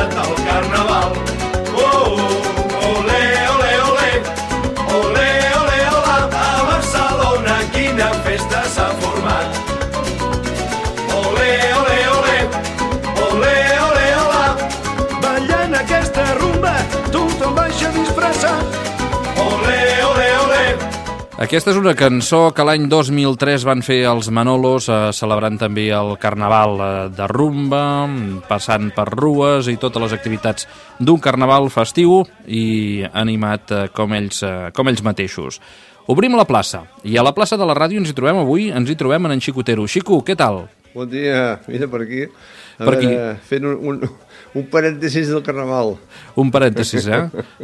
començat el carnaval. Olé, olé, olé, olé, olé, olà, a Barcelona quina festa s'ha format. Olé, olé, olé, olé, olé, olà, ballant aquesta rumba tothom baixa disfressat. Olé, olé, olé. Aquesta és una cançó que l'any 2003 van fer els Manolos, celebrant també el Carnaval de rumba, passant per rues i totes les activitats d'un carnaval festiu i animat com ells mateixos. Obrim la plaça, i a la plaça de la ràdio ens hi trobem en Xicotero. Xico, què tal? Bon dia, mira per aquí. Aquí. Fent un parèntesis del carnaval. Un parèntesis,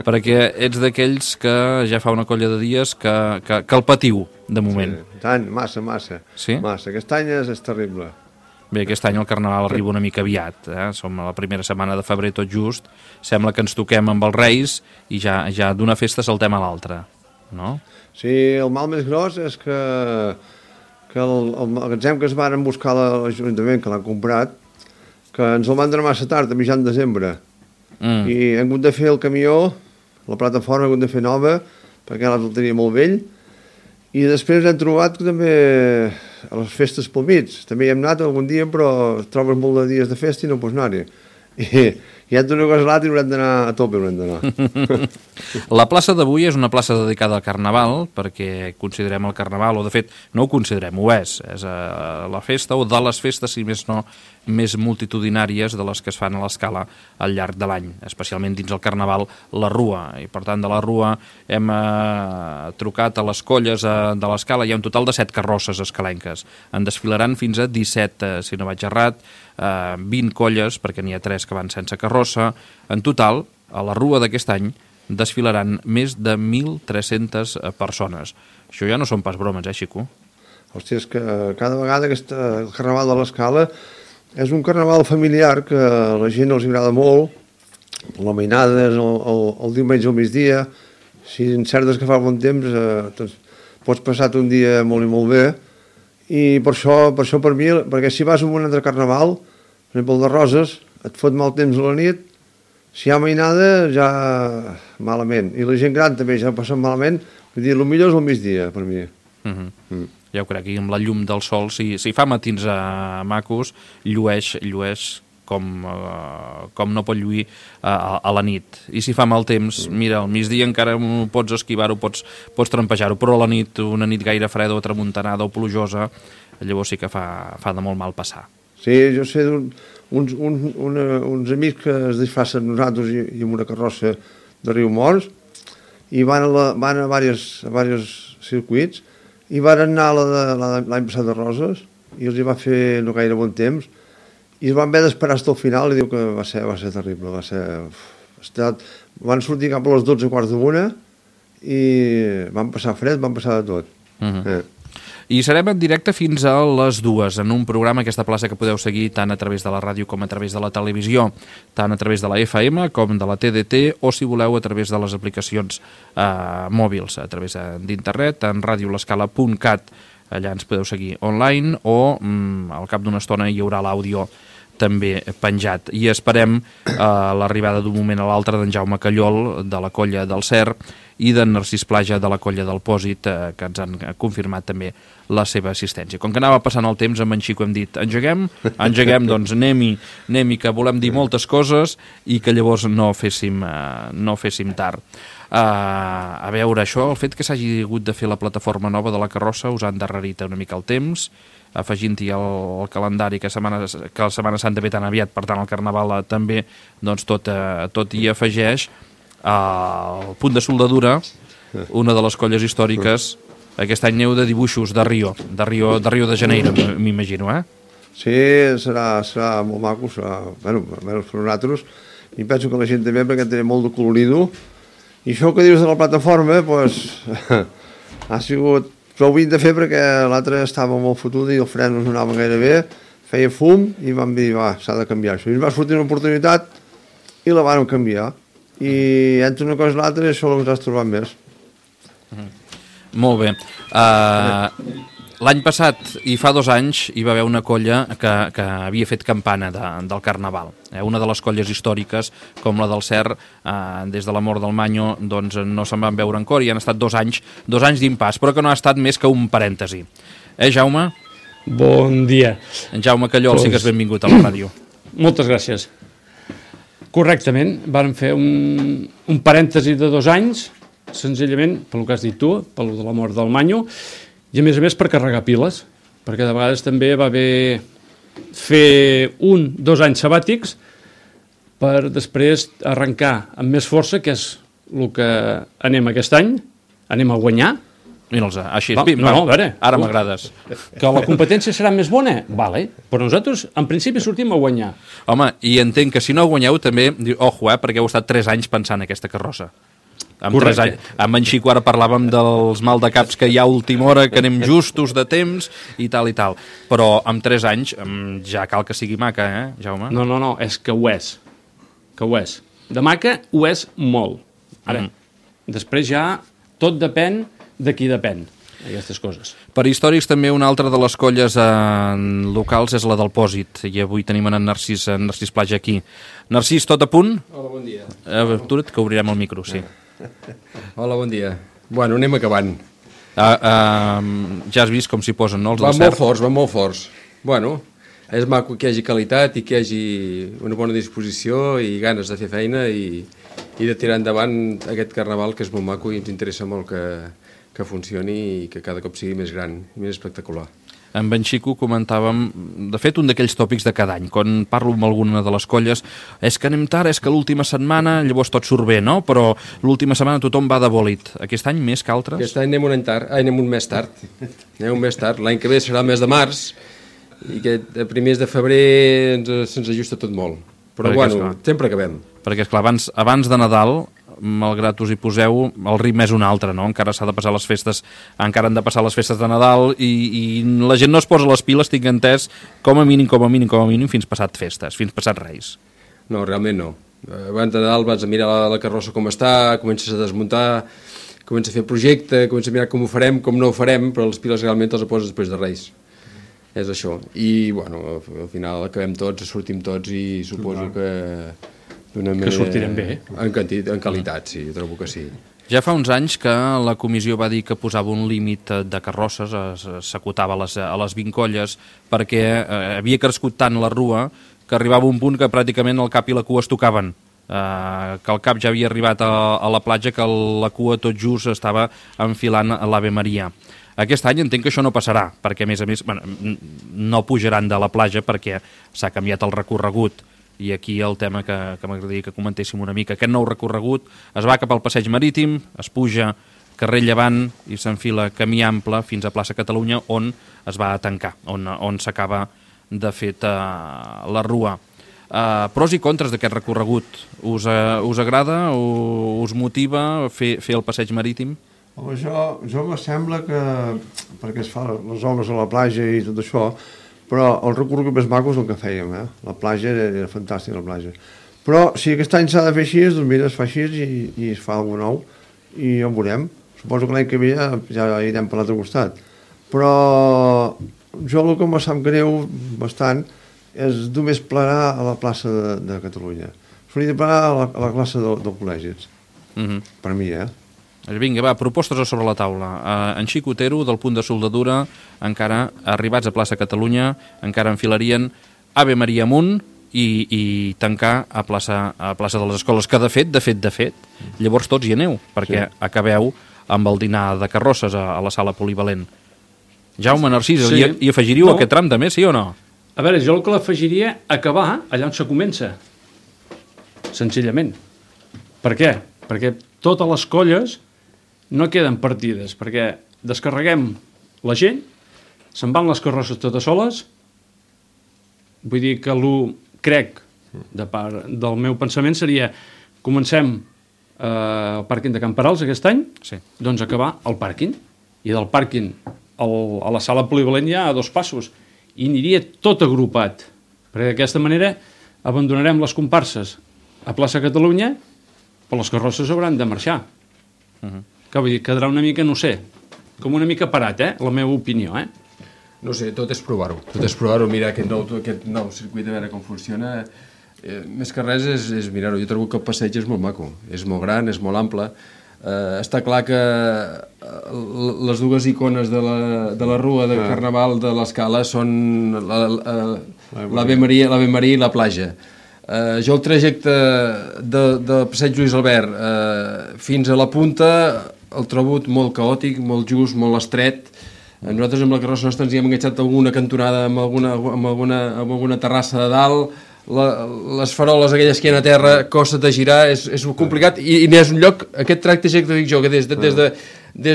perquè ets d'aquells que ja fa una colla de dies que el patiu, de moment. Sí, tant, massa. Sí? Massa. Aquest any és terrible. Bé, aquest any el carnaval arriba una mica aviat, som a la primera setmana de febrer tot just, sembla que ens toquem amb els Reis i ja d'una festa saltem a l'altra, no? Sí, el mal més gros és que el magatzem que es van buscar a l'Ajuntament, que l'han comprat, que ens el van donar massa tard, a mitjan desembre. I hem hagut de fer el camió, la plataforma hem hagut de fer nova, perquè ara el tenia molt vell, i després hem trobat que també a les festes pel mig. També hi hem anat algun dia, però trobes molt de dies de festa i no pots anar-hi. I hem d'una cosa a l'altra i haurem d'anar a tope, haurem d'anar. La plaça d'avui és una plaça dedicada al Carnaval, perquè considerem el Carnaval, o de fet no ho considerem, ho és la festa o de les festes, si més no, més multitudinàries de les que es fan a l'escala al llarg de l'any, especialment dins el Carnaval, la Rua. I per tant, de la Rua hem trucat a les colles de l'escala, hi ha un total de 7 carrosses escalenques. En desfilaran fins a 17, si no vaig errat, 20 colles, perquè n'hi ha 3 que van sense carrossa. En total, a la Rua d'aquest any desfilaran més de 1.300 persones. Això ja no són pas bromes, Xico? Hòstia, és que cada vegada el Carnaval de l'Escala és un carnaval familiar que a la gent els agrada molt. La mainada és el diumenge al migdia. Si encertes que fa bon temps, doncs pots passar-te un dia molt i molt bé. I per això per mi, perquè si vas a un altre carnaval, per exemple el de Roses, et fot mal temps a la nit, si hi ha mainada ja malament. I la gent gran també ja passen malament, vull dir, el millor és el migdia per mi. Ja ho crec, i amb la llum del sol, si fa matins macos, llueix com no pot lluir a la nit. I si fa mal temps, mira, al migdia encara pots esquivar-ho, pots trampejar-ho, però a la nit, una nit gaire freda o tramuntanada o plujosa, llavors sí que fa de molt mal passar. Sí, jo sé uns amics que es disfressen nosaltres i amb una carrossa de Riumors i van a diversos circuits i van anar l'any passat de Roses i els hi va fer no gaire bon temps i es van haver d'esperar fins al final i diu que va ser terrible, van sortir cap a les 12:15 i van passar fred, van passar de tot. I serem en directe fins a les 2 en un programa, aquesta plaça que podeu seguir tant a través de la ràdio com a través de la televisió, tant a través de la FM com de la TDT o si voleu a través de les aplicacions mòbils, a través d'internet en radiolescala.cat, allà ens podeu seguir online o al cap d'una estona hi haurà l'àudio també penjat. I esperem l'arribada d'un moment a l'altre d'en Jaume Callol, de la colla del Cer, i d'en Narcís Plaja, de la colla del Pòsit, que ens han confirmat també la seva assistència. Com que anava passant el temps, amb en Xico hem dit engeguem, doncs anem-hi, que volem dir moltes coses i que llavors no féssim tard. A veure, això, el fet que s'hagi hagut de fer la plataforma nova de la carrossa us ha endarrerit una mica el temps, afegint-hi el calendari que la Setmana Santa ve tan aviat, per tant el Carnaval també, doncs tot hi afegeix. El punt de soldadura, una de les colles històriques, aquest any neu de dibuixos de Rio de Janeiro, m'imagino, Sí, serà molt maco, bueno, per nosaltres, i penso que la gent també, perquè té molt de colorido, i això que dius de la plataforma, doncs, ha sigut prou vint de fer perquè l'altre estava molt fotuda i el fren no anava gaire bé, feia fum i vam dir, s'ha de canviar això. I ens va sortir una oportunitat i la vam canviar. I entre una cosa i l'altra això és el que ens has trobat més. Molt bé. L'any passat, i fa 2 anys, hi va haver una colla que havia fet campana del Carnaval. Una de les colles històriques, com la del Cer, des de la mort del Manyo, doncs no se'n van veure encore i han estat 2 anys d'impàs, però que no ha estat més que un parèntesi. Jaume? Bon dia. En Jaume Callol, sí que és benvingut a la ràdio. Moltes gràcies. Correctament, vam fer un parèntesi de 2 anys, senzillament, pel que has dit tu, pel de la mort del Manyo, i a més per carregar piles, perquè de vegades també va haver fer 1-2 anys sabàtics per després arrencar amb més força, que és el que anem aquest any, anem a guanyar. Mira'ls, així, a veure, ara m'agrades. Que la competència serà més bona? Vale, però nosaltres en principi sortim a guanyar. Home, i entenc que si no guanyeu també, ojo, perquè heu estat 3 anys pensant en aquesta carrossa. Amb 3 anys. Amb en Xico ara parlàvem dels mal de caps que hi ha a última hora, que anem justos de temps i tal. Però amb 3 anys ja cal que sigui maca, Jaume? No, és que ho és. De maca ho és molt. Ara, després ja tot depèn de qui depèn, aquestes coses. Per històrics també una altra de les colles locals és la del Pòsit, i avui tenim en Narcís Plaja aquí. Narcís, tot a punt? Hola, bon dia. Atura't, que obrirem el micro, sí. Hola, bon dia. Bueno, anem acabant. Ja has vist com s'hi posen, no, els del Cert? Van molt forts. Bueno, és maco que hi hagi qualitat i que hi hagi una bona disposició i ganes de fer feina i de tirar endavant aquest carnaval, que és molt maco i ens interessa molt que funcioni i que cada cop sigui més gran i més espectacular. Amb en Xico comentàvem, de fet, un d'aquells tòpics de cada any. Quan parlo amb alguna de les colles, és que anem tard, és que l'última setmana, llavors tot surt bé, no? Però l'última setmana tothom va de bòlit. Aquest any més que altres? Aquest any anem un mes tard. L'any que ve serà el mes de març i a primers de febrer se'ns ajusta tot molt. Però bueno, sempre acabem. Perquè, esclar, abans de Nadal, malgrat us hi poseu, el ritme és un altre, no? Encara s'ha de passar les festes, encara han de passar les festes de Nadal i la gent no es posa les piles, tinc entès, com a mínim, fins passat festes, fins passat Reis. No, realment no. Abans de Nadal vas a mirar la carrossa com està, comences a desmuntar, comences a fer projecte, comences a mirar com ho farem, com no ho farem, però les piles realment les poses després de Reis. És això. I, bueno, al final acabem tots, sortim tots i suposo que que sortirem bé. En qualitat, sí, trobo que sí. Ja fa uns anys que la comissió va dir que posava un límit de carrosses, s'acotava a les 20 colles, perquè havia crescut tant la rua que arribava un punt que pràcticament el cap i la cua es tocaven. Que el cap ja havia arribat a la platja, que la cua tot just estava enfilant a l'Ave Maria. Aquest any entenc que això no passarà, perquè a més no pujaran de la platja perquè s'ha canviat el recorregut. I aquí el tema que m'agradaria que comentéssim una mica. Aquest nou recorregut es va cap al Passeig Marítim, es puja carrer Llevant i s'enfila camí ample fins a plaça Catalunya, on es va tancar, on s'acaba de fet la rua. Pros i contres d'aquest recorregut. Us agrada o us motiva fer el Passeig Marítim? Home, jo me sembla que, perquè es fa les obres a la platja i tot això, però el recorregut més maco és el que fèiem, La platja era fantàstica, la platja. Però si aquest any s'ha de fer així, doncs mira, es fa així i es fa alguna nou i ja ho veurem. Suposo que l'any que ve ja irem per l'altre costat. Però jo el que em sap greu bastant és només plegar a la plaça de Catalunya. S'hauria de plegar a la classe del col·legi. Per mi, Vinga, va, propostes a sobre la taula. En Xico Otero, del punt de soldadura, encara arribats a plaça Catalunya, encara enfilarien Ave Maria amunt i tancar a plaça de les Escoles, que de fet, llavors tots hi aneu, perquè acabeu amb el dinar de carrosses a la sala polivalent. Jaume, Narcís, hi afegiríeu aquest tram també, sí o no? A veure, jo el que l'afegiria acabar allà on se comença, senzillament. Per què? Perquè totes les colles no queden partides, perquè descarreguem la gent, se'n van les carrosses totes soles, vull dir que crec, de part del meu pensament, seria comencem el pàrquing de Camperals aquest any, doncs acabar al pàrquing, i del pàrquing a la sala polivalent hi ha 2 passos, i aniria tot agrupat, perquè d'aquesta manera abandonarem les comparses a plaça Catalunya, però les carrosses hauran de marxar. Que vull dir, quedarà una mica, no sé, com una mica parat, la meva opinió, No sé, tot és provar-ho. Tot és provar-ho, mirar aquest nou circuit, a veure com funciona. Més que res és mirar-ho. Jo trobo que el passeig és molt maco. És molt gran, és molt ample. Està clar que les dues icones de la rua de Carnaval de l'Escala són l'Ave Maria i la platja. Jo el trajecte del passeig Lluís Albert fins a la punta el trobo molt caòtic, molt just, molt estret. Nosaltres amb la carrossa nostra ens hi hem enganxat alguna cantonada amb alguna terrassa de dalt, les faroles aquelles que hi ha a terra, costa de girar, és complicat i és un lloc, aquest trajecte que dic jo, que des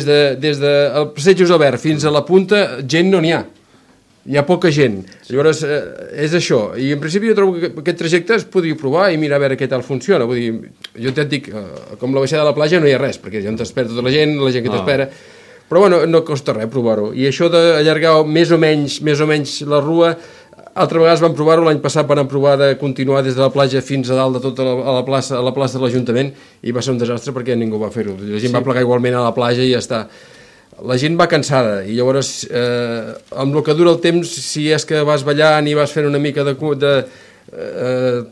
del passeig Josep fins a la punta, gent no n'hi ha. Hi ha poca gent. Llavors, és això. I en principi jo trobo que aquest trajecte es podria provar i mirar a veure què tal funciona. Vull dir, jo et dic, com la baixada de la platja no hi ha res, perquè ja on t'espera tota la gent que t'espera. Però bueno, no costa res provar-ho. I això d'allargar més o menys la rua, altra vegades vam provar-ho, l'any passat vam provar de continuar des de la platja fins a dalt de tota la plaça de l'Ajuntament i va ser un desastre perquè ningú va fer-ho. La gent va plegar igualment a la platja i ja està. La gent va cansada i llavors amb el que dura el temps, si és que vas ballant i vas fent una mica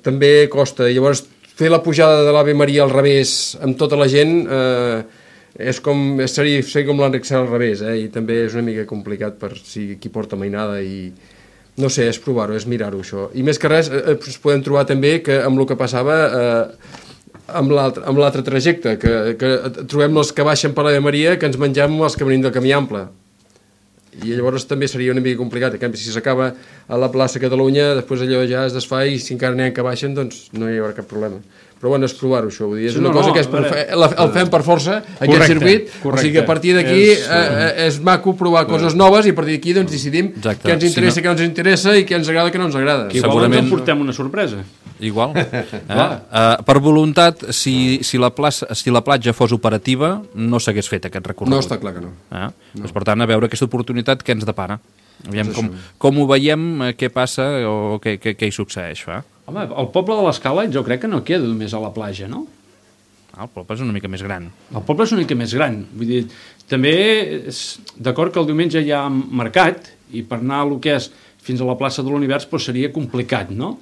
també costa. I llavors fer la pujada de l'Ave Maria al revés amb tota la gent seria com l'Enric Serra al revés, i també és una mica complicat per si qui porta mainada i no sé, és provar-ho, és mirar-ho això. I més que res ens podem trobar també que amb el que passava amb l'altre trajecte, que trobem els que baixen per l'Ave Maria que ens mengem els que venim del Camí Ample. I llavors també seria una mica complicat. En canvi, si s'acaba a la plaça Catalunya, després allò ja es desfà i si encara n'hi ha que baixen, doncs no hi haurà cap problema. Però bueno, és provar-ho, això. Vull dir, és una cosa que el fem per força, aquest circuit, o sigui que a partir d'aquí és maco provar coses noves i a partir d'aquí doncs decidim què ens interessa, què no ens interessa i què ens agrada, què no ens agrada. Igualment ens portem una sorpresa. Igual. Per voluntat, si la platja fos operativa, no s'hagués fet aquest recorregut. No, està clar que no. Per tant, a veure aquesta oportunitat què ens depara. Aviam com ho veiem, què passa o què hi succeeix. Home, el poble de l'Escala jo crec que no queda només a la platja, no? El poble és una mica més gran. El poble és una mica més gran. Vull dir, també és d'acord que el diumenge hi ha mercat i per anar a lo que és fins a la plaça de l'Univers doncs seria complicat, no?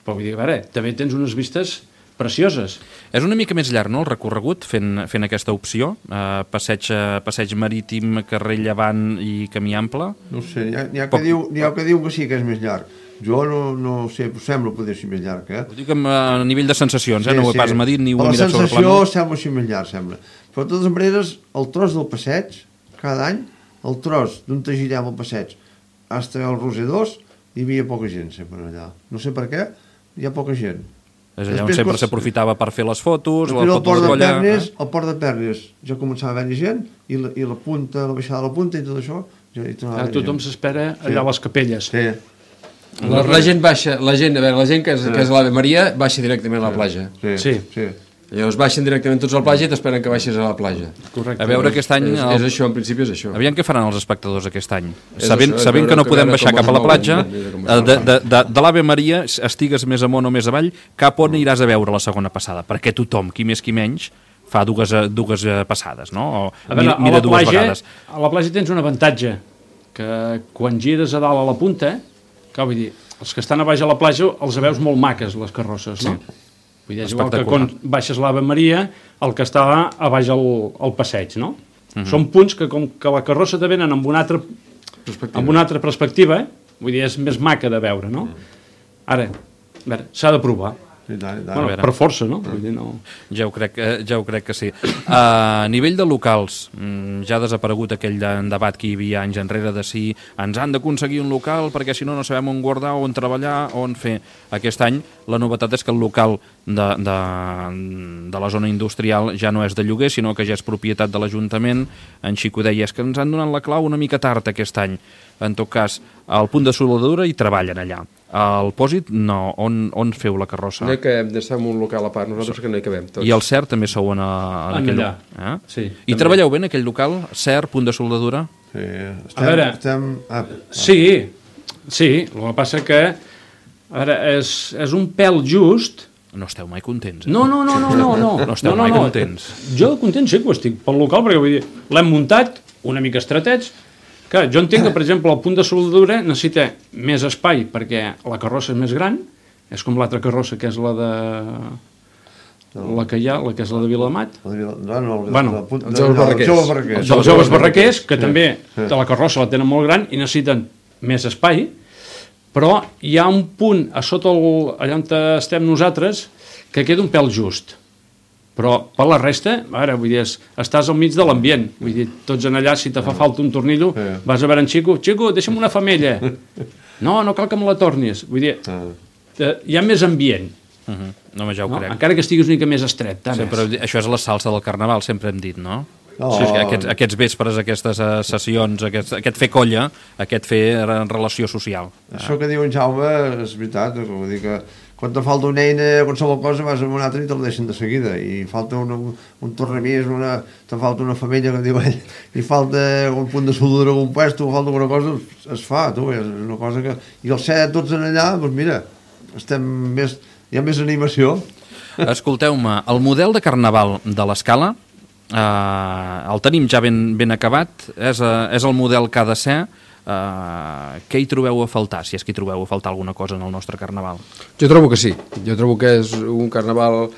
Però vull dir, a veure, també tens unes vistes precioses. És una mica més llarg, no?, el recorregut, fent aquesta opció, passeig marítim, carrer Llevant i Camí Ample. No sé, n'hi ha que diu que sí que és més llarg. Jo no sé, sembla poder ser més llarg, Ho dic a nivell de sensacions, no ho he pas medit ni ho he mirat sobre el pla. La sensació sembla ser més llarg, sembla. Però de totes maneres, el tros del passeig, cada any, el tros d'on te girem el passeig, fins al Roser 2, hi havia poca gent sempre allà. No sé per què, hi ha poca gent. És allà on sempre s'aprofitava per fer les fotos, el port de Pernes ja començava a haver gent i la punta, la baixada de la punta i tot això tothom s'espera allà a les capelles. La gent que és a l'Ave Maria baixa directament a la platja. Sí. Llavors baixen directament tots a la platja i t'esperen que baixis a la platja. Correcte. A veure aquest any... És això, en principi és això. Aviam què faran els espectadors aquest any. Sabent que no podem baixar cap a la platja, de l'Ave Maria, estigues més amunt o més avall, cap on iràs a veure la segona passada? Perquè tothom, qui més qui menys, fa dues passades, no? Mira dues vegades. A la platja tens un avantatge, que quan gires a dalt a la punta, vull dir, els que estan a baix a la platja els veus molt maques, les carrosses, no? Vull dir, és igual que quan baixes l'Ave Maria, el que està a baix al passeig, no? Són punts que com que la carrossa te venen amb una altra perspectiva, vull dir, és més maca de veure, no? Ara, a veure, s'ha de provar. Bueno, per força, no? Vull dir, no... Ja ho crec que sí. A nivell de locals, ja ha desaparegut aquell debat que hi havia anys enrere de si ens han d'aconseguir un local perquè si no sabem on guardar, on treballar, on fer. Aquest any la novetat és que el local de la zona industrial ja no és de lloguer, sinó que ja és propietat de l'Ajuntament. En Xico deia, és que ens han donat la clau una mica tard aquest any. En tot cas, al punt de soldadura hi treballen allà. Al Pòsit, no. On feu la carrossa? No hi cabem, estem un local a part, nosaltres que no hi cabem tots. I el CERT també sou en aquell local? Sí. I treballeu bé en aquell local? CERT, punt de soldadura? Sí, sí, el que passa que és un pèl just. No esteu mai contents, No. No esteu mai contents. Jo content sí que ho estic pel local, perquè vull dir, l'hem muntat una mica estretets, Clar, jo entenc que, per exemple, el punt de soldadura necessita més espai perquè la carrossa és més gran, és com l'altra carrossa, que és la de... la que hi ha, la que és la de Vilamat. Bueno, els joves barraquers. Els joves barraquers, que també de la carrossa la tenen molt gran i necessiten més espai, però hi ha un punt a sota allà on estem nosaltres que queda un pèl just. Però per la resta, ara, vull dir, estàs al mig de l'ambient. Vull dir, tots en allà, si te fa falta un tornillo, vas a veure en Xico, deixa'm una femella. No cal que me la tornis. Vull dir, hi ha més ambient. No, ja ho crec. Encara que estiguis una mica més estret. Això és la salsa del carnaval, sempre hem dit, no? No. Sí, aquests vespres, aquestes sessions, aquest fer colla, aquest fer relació social. Això que diu en Jaume és veritat, vull dir que quan te falta una eina, qualsevol cosa, vas a una altra i te la deixen de seguida, i falta un tornamís, te falta una femella, que diu ell, i falta un punt de soldadura, un puesto, falta alguna cosa, es fa, tu, és una cosa que... I els set tots en allà, doncs mira, hi ha més animació. Escolteu-me, el model de carnaval de l'Escala, el tenim ja ben acabat, és el model que ha de ser. Què hi trobeu a faltar, si és que hi trobeu a faltar alguna cosa en el nostre carnaval? Jo trobo que sí, jo trobo que és un carnaval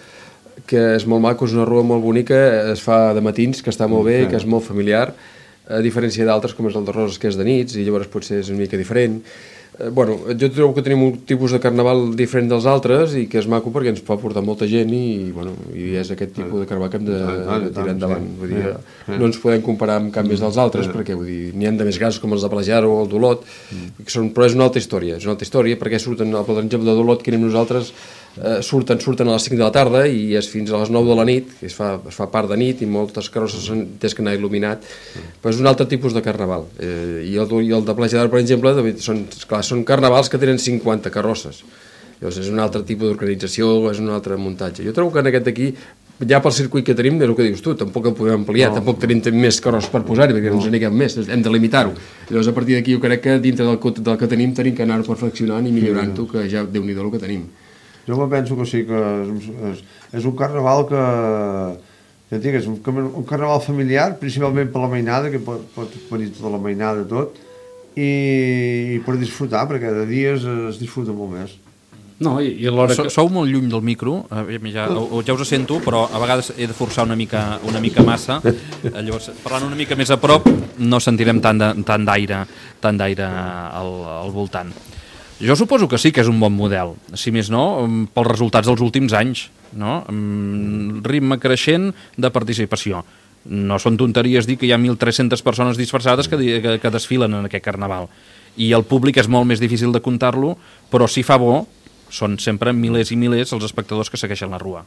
que és molt maco, és una rua molt bonica, es fa de matins, que està molt bé, que és molt familiar, a diferència d'altres com és el de Roses, que és de nits, i llavors potser és una mica diferent. Bueno, jo trobo que tenim un tipus de carnaval diferent dels altres i que és maco perquè ens pot portar molta gent i és aquest tipus de carnaval que hem de tirar endavant. Vull dir, no ens podem comparar amb cap més dels altres perquè n'hi ha de més grans com els de Plejar o el d'Olot, però és una altra història, perquè surten, per exemple, de d'Olot que anem nosaltres, surten a les 5 de la tarda i és fins a les 9 de la nit, es fa part de nit i moltes carrosses tens que anar il·luminat, però és un altre tipus de carnaval. I el de Plejar, per exemple, són carnavals que tenen 50 carrosses. Llavors és un altre tipus d'organització, és un altre muntatge. Jo trobo que en aquest d'aquí, ja pel circuit que tenim, és el que dius tu, tampoc el podem ampliar, tampoc tenim més carrosses per posar-hi, perquè no ens n'hi més, hem de limitar-ho. Llavors a partir d'aquí jo crec que dintre del que tenim que anar-ho perfeccionant i millorant-ho, que ja Déu-n'hi-do el que tenim. Jo me penso que sí, que és un carnaval que ja et dic, és un carnaval familiar, principalment per la mainada, que pot venir tota la mainada tot, i per disfrutar, perquè de dies es disfruta molt més. No, i a l'hora que... Sou molt lluny del micro, ja us sento, però a vegades he de forçar una mica massa, llavors parlant una mica més a prop no sentirem tant d'aire al voltant. Jo suposo que sí que és un bon model, si més no, pels resultats dels últims anys, no? Ritme creixent de participació. No són tonteries dir que hi ha 1.300 persones disfressades que desfilen en aquest carnaval. I el públic és molt més difícil de comptar-lo, però si fa bo, són sempre milers i milers els espectadors que segueixen la rua.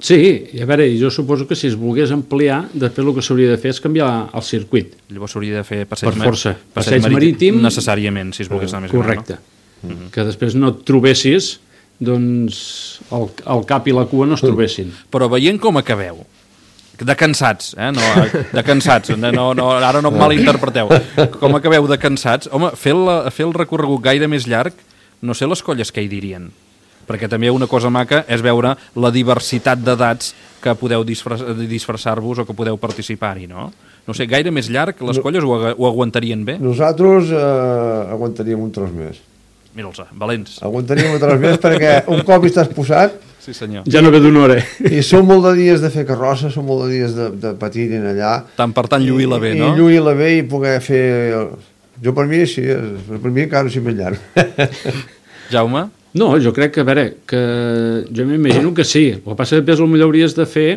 Sí, i a veure, jo suposo que si es volgués ampliar, després el que s'hauria de fer és canviar el circuit. Llavors s'hauria de fer passeig marítim necessàriament, si es volgués anar més gran. Correcte. Que després no et trobessis, doncs el cap i la cua no es trobessin. Però veient com acabeu, de cansats, de cansats, ara no em malinterpreteu, com acabeu de cansats, home, fer el recorregut gaire més llarg, no sé les colles què hi dirien, perquè també una cosa maca és veure la diversitat d'edats que podeu disfressar-vos o que podeu participar-hi, no? No sé, gaire més llarg, les colles ho aguantarien bé? Nosaltres aguantaríem un tros més. Mira'ls, valents. Aguantaríem un tros més perquè un cop hi estàs posat... Sí, senyor. Ja no ve d'una hora. I són molt de dies de fer carrossa, són molt de dies de patir en allà. Tant per tant lluir-la bé, no? I lluir-la bé i poder fer... Jo per mi sí, per mi encara sí més llarg. Jaume? No, jo crec que, a veure, que jo m'imagino que sí. El que passa és que després potser hauries de fer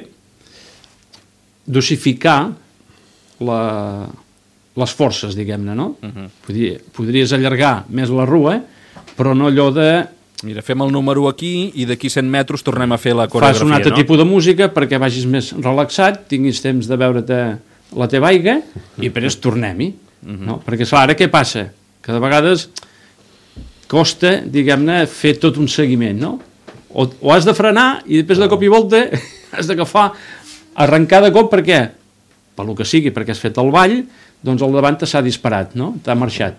dosificar les forces, diguem-ne, no? Podries allargar més la rua, però no allò de... Mira, fem el número aquí i d'aquí 100 metres tornem a fer la coreografia, fas un altre tipus de música perquè vagis més relaxat, tinguis temps de veure-te la teva aigua i després tornem-hi. No? Perquè, clar, ara què passa? Que de vegades costa, diguem-ne, fer tot un seguiment, no? O has de frenar i després de cop i volta has d'agafar, arrencar de cop, per què? Per lo que sigui, perquè has fet el ball, doncs al davant s'ha disparat, no? T'ha marxat.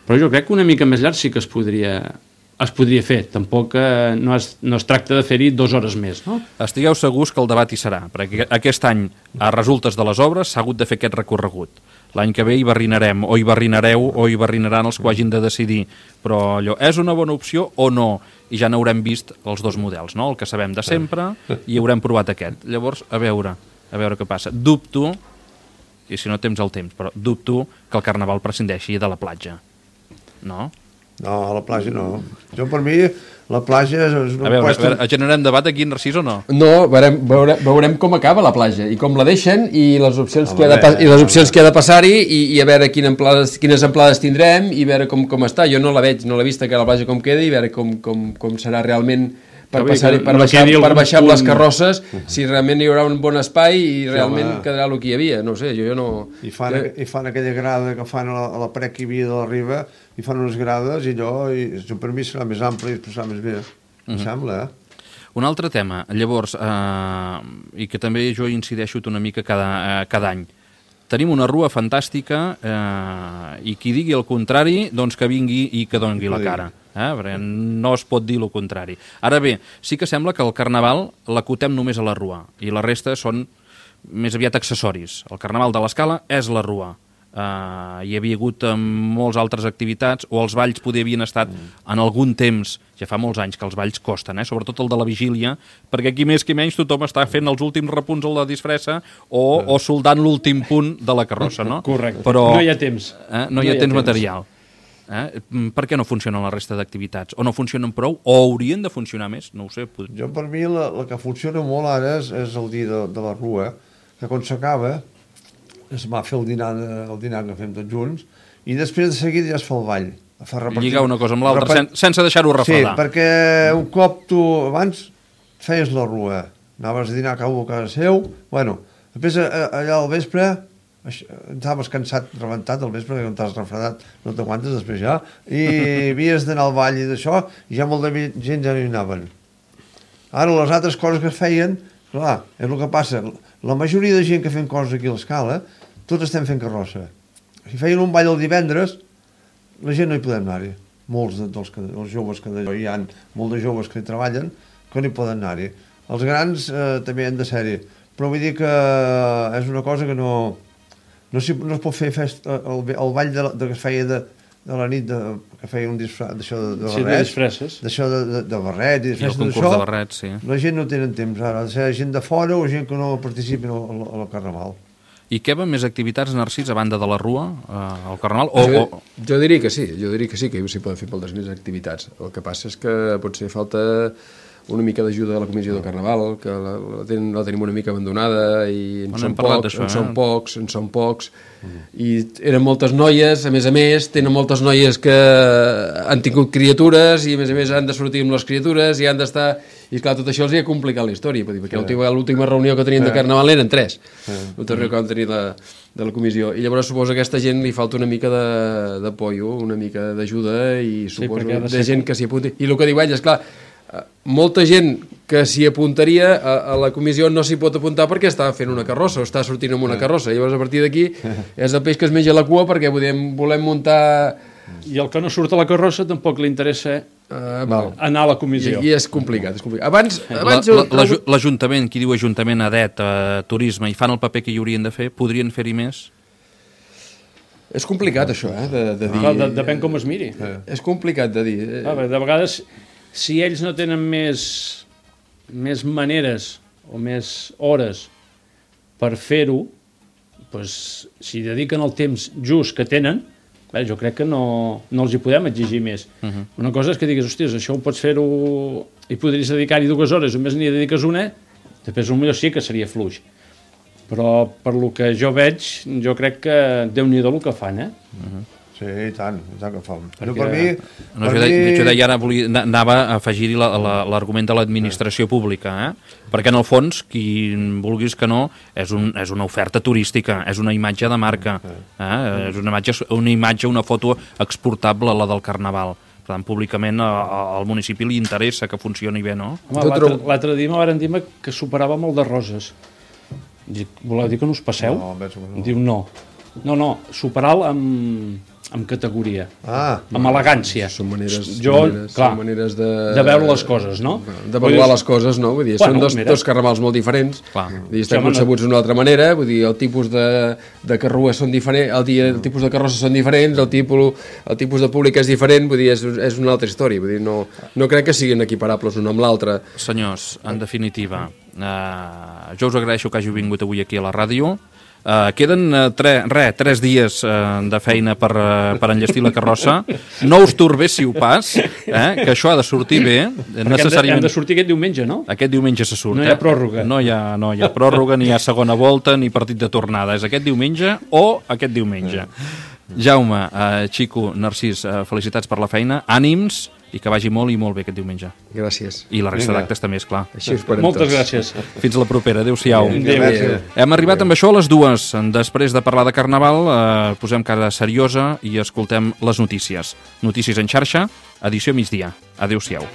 Però jo crec que una mica més llarg sí que es podria fer. Tampoc no es tracta de fer-hi 2 hores més, no? Estigueu segurs que el debat hi serà, perquè aquest any, a resultes de les obres, s'ha hagut de fer aquest recorregut. l'any que ve hi barrinarem, o hi barrinareu, o hi barrinaran els que ho hagin de decidir. Però allò, és una bona opció o no? I ja n'haurem vist els dos models, no? El que sabem de sempre i haurem provat aquest. Llavors, a veure què passa. Dubto, i si no tens el temps, però dubto que el Carnaval prescindeixi de la platja. No? No, a la platja no. Jo, per mi, la platja és una a veure, generem debat aquí, Narcís, o no? No, veurem com acaba la platja i com la deixen i les opcions que ha de passar-hi i a veure quines amplades tindrem i veure com està. Jo no la veig, no l'he vist que la platja com queda i veure com serà realment per baixar amb les carrosses, si realment hi haurà un bon espai i realment quedarà el que hi havia, no sé, jo no... I fan aquella grada que fan a la paret que hi havia de la riba, i fan unes grades i allò, per mi serà més ample i es passarà més bé, em sembla, Un altre tema, llavors, i que també jo incideixo una mica cada any. Tenim una rua fantàstica i qui digui el contrari, doncs que vingui i que doni la cara. Perquè no es pot dir el contrari. Ara bé, sí que sembla que el Carnaval l'acotem només a la rua i la resta són més aviat accessoris. El Carnaval de l'Escala és la rua. Hi havia hagut molts altres activitats, o els balls poder havien estat en algun temps, ja fa molts anys que els balls costen, sobretot el de la vigília, perquè aquí més que menys tothom està fent els últims repunts a la disfressa o soldant l'últim punt de la carrossa, no? Correcte, però, no hi ha temps. No hi ha temps material. Per què no funcionen la resta d'activitats? O no funcionen prou? O haurien de funcionar més? No ho sé. Jo, per mi, la que funciona molt ara és el dia de la rua, que quan s'acaba es va fer el dinar que fem tots junts, i després de seguida ja es fa el ball. Lligar una cosa amb l'altra, sense deixar-ho refredar. Sí, perquè un cop tu abans feies la rua, anaves a dinar a casa seu, després allà al vespre estaves cansat, rebentat al vespre, perquè no t'has refredat, no t'aguantes després ja, i havies d'anar al ball i d'això, i ja molta gent ja no hi anaven. Ara les altres coses que es feien, clar, és el que passa, la majoria de gent que fem coses aquí a l'Escala, tots estem fent carrossa. Si feien un ball el divendres, la gent no hi podem anar-hi. Molts dels joves que hi ha, molts de joves que hi treballen, que no hi poden anar-hi. Els grans també han de ser-hi, però vull dir que és una cosa que no es pot fer el ball que es feia de la nit, que feia un disfraç d'això de barrets, d'això de barret i el concurs de barrets, sí. La gent no tenen temps ara, ha de ser gent de fora o gent que no participi al Carnaval. I què va més activitats, Narcís, a banda de la rua, al Carnaval? Jo diria que sí, que s'hi poden fer moltes més activitats. El que passa és que potser falta una mica d'ajuda de la Comissió del Carnaval, que la tenim una mica abandonada i en són pocs, i eren moltes noies, a més, tenen moltes noies que han tingut criatures i a més han de sortir amb les criatures i han d'estar... I clar, tot això els ha complicat la història, perquè l'última reunió que tenien de Carnaval eren 3, l'última reunió que vam tenir de la comissió, i llavors suposo que a aquesta gent li falta una mica d'apoyo, una mica d'ajuda, i suposo de gent que s'hi apunti. I el que diu ell és, clar, molta gent que s'hi apuntaria a la comissió no s'hi pot apuntar perquè està fent una carrossa o està sortint amb una carrossa. Llavors, a partir d'aquí, és el peix que es menja la cua perquè volem muntar... I el que no surt a la carrossa tampoc li interessa anar a la comissió. I és complicat. L'Ajuntament, qui diu Ajuntament, ADET, Turisme, i fan el paper que hi haurien de fer, podrien fer-hi més? És complicat, això, de dir... Depèn com es miri. És complicat de dir. De vegades, si ells no tenen més maneres o més hores per fer-ho, si dediquen el temps just que tenen, jo crec que no els hi podem exigir més. Una cosa és que digues, hòsties, això ho pots fer-ho i podries dedicar-hi 2 hores, només n'hi dediques una, després potser sí que seria fluix. Però per lo que jo veig, jo crec que Déu-n'hi-do el que fan, Sí, i tant que fan. Jo deia ara, anava a afegir-hi l'argument de l'administració pública, perquè en el fons, qui vulguis que no, és una oferta turística, és una imatge de marca, és una imatge, una foto exportable, la del Carnaval. Per tant, públicament al municipi li interessa que funcioni bé, no? L'altre dia me van dir que superava molt de roses. Voleu dir que no us passeu? No. Diu no, superar-lo amb categoria, amb elegància. Són maneres de veure les coses, no? D'avaluar les coses, no? Vull dir, són dos carnavals molt diferents. Vull dir, estan concebuts d'una altra manera, vull dir, el tipus de carrua són diferents, el tipus de carrossa són diferents, el tipus de públic és diferent, vull dir, és una altra història, vull dir, no crec que siguin equiparables un amb l'altre. Senyors, en definitiva, jo us agraeixo que hàgiu vingut avui aquí a la ràdio. Queden 3 dies de feina per enllestir la carrossa. No us torbéssiu pas, que això ha de sortir bé. Hem de sortir aquest diumenge, no? Aquest diumenge se surt. No hi ha pròrroga. No hi ha pròrroga, ni hi ha segona volta, ni partit de tornada. És aquest diumenge o aquest diumenge. Jaume, Xico, Narcís, felicitats per la feina, ànims, i que vagi molt i molt bé aquest diumenge. Gràcies. I la resta d'actes també, esclar. Així ho esperem Moltes tots. gràcies. Fins la propera. Adéu-siau. Adéu. Hem arribat amb això a les 2. Després de parlar de Carnaval, posem cara seriosa i escoltem les notícies. Notícies en xarxa, edició migdia. Adéu-siau.